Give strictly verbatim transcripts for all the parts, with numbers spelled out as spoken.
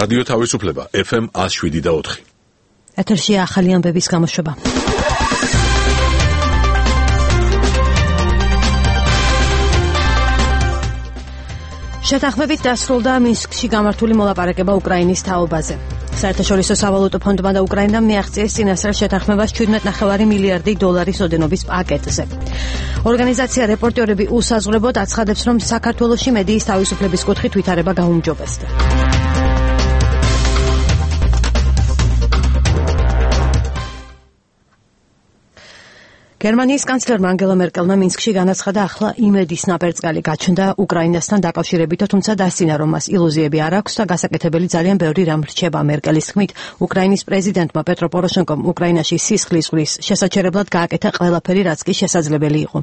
რადიო თავისუფლება ეფ ემ one oh seven და four. ეთერში ახალი ამბების გამოშვება. შეთანხმებით დასრულდა მინსკში გამართული მოლაპარაკება უკრაინის თაობაზე. საერთაშორისო სავალუტო ფონდმა და უკრაინამ მიაღწიეს წინასწარ შეთანხმებას seventeen point five მილიარდი დოლარის ოდენობის პაკეტზე. ორგანიზაცია რეპორტერები უსაზღვრებოდ აცხადებს, რომ საქართველოში მედიის თავისუფლების კუთხით ვითარება გაუმჯობესდა. გერმანიის კანცლერმა ანგელა მერკელმა მინსკში განაცხადა, ახლა იმედის ნაპერწკალი გაჩნდა უკრაინასთან დაკავშირებით, თუმცა დასცინა, რომ მას ილუზიები არ აქვს და გასაკეთებელი ძალიან ბევრი რამ რჩება. მერკელის თქმით, უკრაინის პრეზიდენტმა პეტრო პოროშენკომ უკრაინაში სისხლის ზღვის შესაჩერებლად გააკეთა ყველაფერი, რაც კი შესაძლებელი იყო.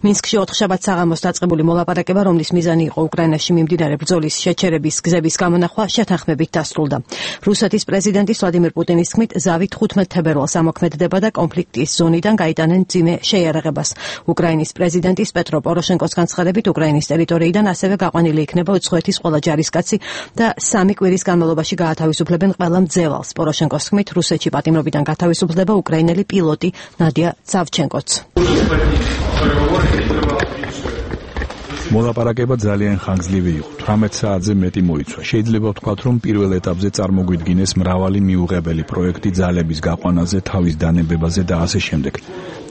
მინსკში ოთხშაბათს საღამოს დაწყებული მოლაპარაკება, რომლის მიზანი იყო უკრაინაში მიმდინარე ბრძოლის შეჩერების გზების გამონახვა, შეთანხმებით დასრულდა. რუსეთის პრეზიდენტის ვლადიმირ პუტინის თქმით, ზავი ხუთმეტ თებერვალს ამოქმედდება და კონფლიქტის ზონიდან გაიტანენ შეიარაღებას. უკრაინის პრეზიდენტის პეტრო პოროშენკოს განცხადებით, უკრაინის ტერიტორიიდან ასევე გაყვანილი იქნება უცხოეთის ყველა ჯარისკაცი და სამი კვირის განმავლობაში გაათავისუფლებენ ყველა მძევალს. პოროშენკოს თქმით, რუსეთში პატიმრობიდან გათავისუფლდება უკრაინელი პილოტი ნადია სავჩენკოც. მოლაპარაკება ძალიან ხანგრძლივი იყო. eighteen საათზე მეტი მოიცვა. შეიძლება ვთქვათ, რომ პირველ ეტაპზე წარმოგვიდგინეს მრავალი მიუღებელი პროექტი ძალების გაყვანაზე, თავის დანებებაზე და ასე შემდეგ.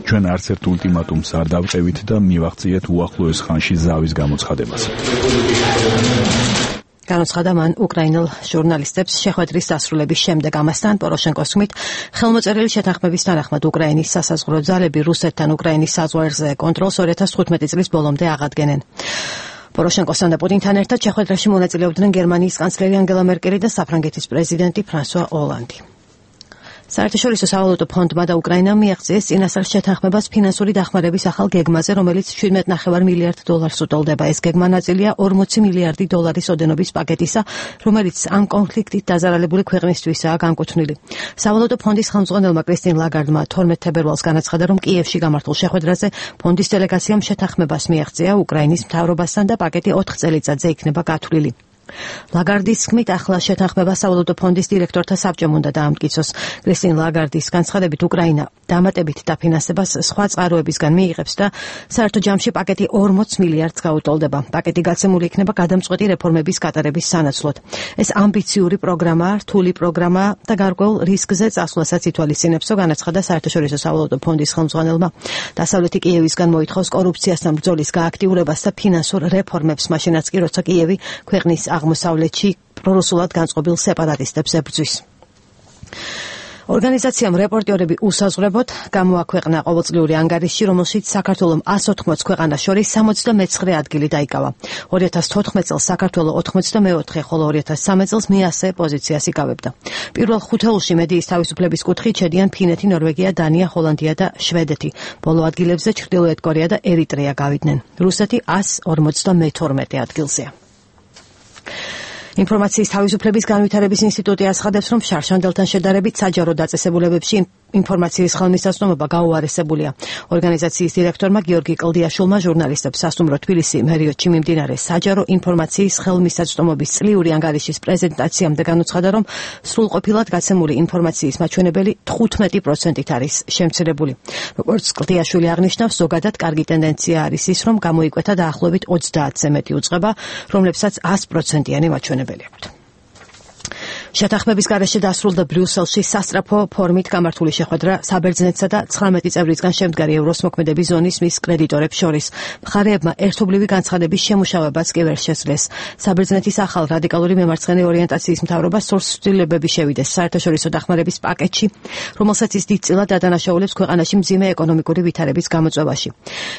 ჩვენ არც ერთ ულტიმატუმს არ დავწევით და მივაღწიეთ უახლოეს ხანში ზავის გამოცხადებას. განაცხადა მან უკრაინელ ჟურნალისტებს შეხვედრის დასრულების შემდეგ. ამასთან პოროშენკოს თქმით, ხელმოწერილი შეთანხმების თანახმად უკრაინის სასაზღვრო ძალები რუსეთთან უკრაინის საზღვარზე კონტროლს two thousand fifteen წლის ბოლომდე აღადგენენ. პოროშენკოსთან და პუტინთან ერთად შეხვედრაში მონაწილეობდნენ გერმანიის კანცლერი ანგელა მერკელი და საფრანგეთის პრეზიდენტი ფრანსუა ოლანდი. საერთაშორისო სავალუტო ფონდმა და უკრაინამ მიაღწიეს წინასწარ შეთანხმებას ფინანსური დახმარების ახალ გეგმაზე, რომელიც seventeen point five მილიარდ დოლარს უტოლდება. ეს გეგმა ნაწილია forty მილიარდი დოლარის ოდენობის პაკეტისა, რომელიც ამ კონფლიქტით დაზარალებული ქვეყნისთვისაა განკუთვნილი. სავალუტო ფონდის ხელმძღვანელმა კრისტინ ლაგარდმა twelve თებერვალს განაცხადა, რომ კიევში გამართულ შეხვედრაზე ფონდის დელეგაციამ შეთანხმებას მიაღწია უკრაინის მთავრობასთან და პაკეტი ოთხ წელიწადზე იქნება გათვლილი. ლაგარდის თქმით, ახლა შეთანხმება სავალუტო ფონდის დირექტორთა საბჭომ უნდა დაამტკიცოს. კრისტინ ლაგარდის განცხადებით, უკრაინა დამატებით დაფინანსებას სხვა წყაროებისგან მიიღებს და საერთო ჯამში პაკეტი forty მილიარდს გაუტოლდება. პაკეტი გაცემული იქნება გადამწყვეტი რეფორმების გატარების სანაცვლოდ. ეს ამბიციური პროგრამაა, რთული პროგრამაა და გარკვეულ რისკზე წასვლასაც ითვალისწინებსო, განაცხადა საერთაშორისო სავალუტო ფონდის ხელმძღვანელმა. დასავლეთი კიევისგან მოითხოვს კორუფციასთან ბრძოლის გააქტიურებას და ფინანსურ რეფორმებს, მაშინაც კი როცა კიევი ქვეყნის აღმოსავლეთში პრორუსულად განწყობილ სეპარატისტებს ებრძვის. ორგანიზაციამ რეპორტერები უსაზღვრებოდ გამოაქვეყნა ყოველწლიური ანგარიში, რომელშიც საქართველომ one hundred forty ქვეყანას შორის seventy-nine ადგილი დაიკავა. two thousand fourteen წელს საქართველო ninety-four, ხოლო two thousand thirteen წელს მეასე პოზიციას იკავებდა. პირველ ხუთეულში მედიის თავისუფლების კუთხით შედიან ფინეთი, ნორვეგია, დანია, ჰოლანდია და შვედეთი. ბოლო ადგილებზე ჩრდილოეთ კორეა და ერიტრეა გავიდნენ. რუსეთი one forty-two ადგილზეა. ინფორმაციის თავისუფლების განვითარების ინსტიტუტი აცხადებს, რომ შარშანდელთან შედარებით საჯარო დაწესებულებებში ინფორმაციის ხელმისაწვდომობა გაუარესებულია. ორგანიზაციის დირექტორმა გიორგი კლდიაშვილმა ჟურნალისტებს სასტუმრო თბილისი მერიოტში მიმდინარე საჯარო ინფორმაციის ხელმისაწვდომობის წლიური ანგარიშის პრეზენტაციამდე განუცხადა, რომ სრულყოფილად გაცემული ინფორმაციის მაჩვენებელი fifteen პროცენტით არის შემცირებული. როგორც კლდიაშვილი აღნიშნავს, ზოგადად კარგი ტენდენცია არის ის, რომ გამოიკვეთა დაახლოებით ოცდაათზე მეტი უწყება, რომლებსაც one hundred პროცენტიანი მაჩვენებელი აქვთ. შეთანხმების გარეშე დასრულდა ბრიუსელში სასწრაფო ფორმით გამართული შეხვედრა საბერძნეთსა და nineteen წევრისგან შემდგარი ევროს მოქმედების ზონის მის კრედიტორებს შორის. მხარეებმა ერთობლივი განცხადების შემუშავებაც კი ვერ შესძლეს. საბერძნეთის ახალ რადიკალური მემარცხენე ორიენტაციის მთავრობა სურს ცვლილებები შევიდეს საერთაშორისო დახმარების პაკეტში, რომელსაც ის დიდწილად ადანაშაულებს ქვეყანაში მძიმე ეკონომიკური ვითარების გამოწვევაში.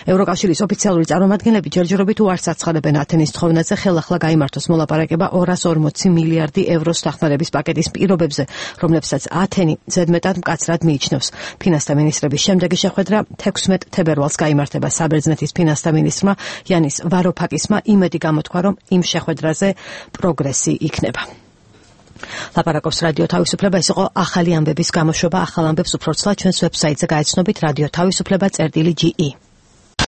ევროკავშირის ოფიციალური წარმომადგენლები ჯერჯერობით უარს აცხადებენ ათენის თხოვნაზე ხელახლა გაიმართოს მოლაპარაკება two hundred forty მილიარდი ევროს დახმარების პაკეტის პირობებზე, რომლებსაც ათენი ზედმეტად მკაცრად მიიჩნევს. ფინანსთა მინისტრების შემდეგი შეხვედრა sixteen თებერვალს გაიმართება. საბერძნეთის ფინანსთა მინისტრმა იანის ვაროფაკისმა იმედი გამოთქვა, რომ იმ შეხვედრაზე პროგრესი იქნება. ლაპარაკობს რადიო თავისუფლება. ეს იყო ახალი ამბების გამოშვება. ახალ ამბებს უფრო ცლად ჩვენს ვებსაიტზე გაეცნობით რადიო თავისუფლება წერტილი ჯი ი.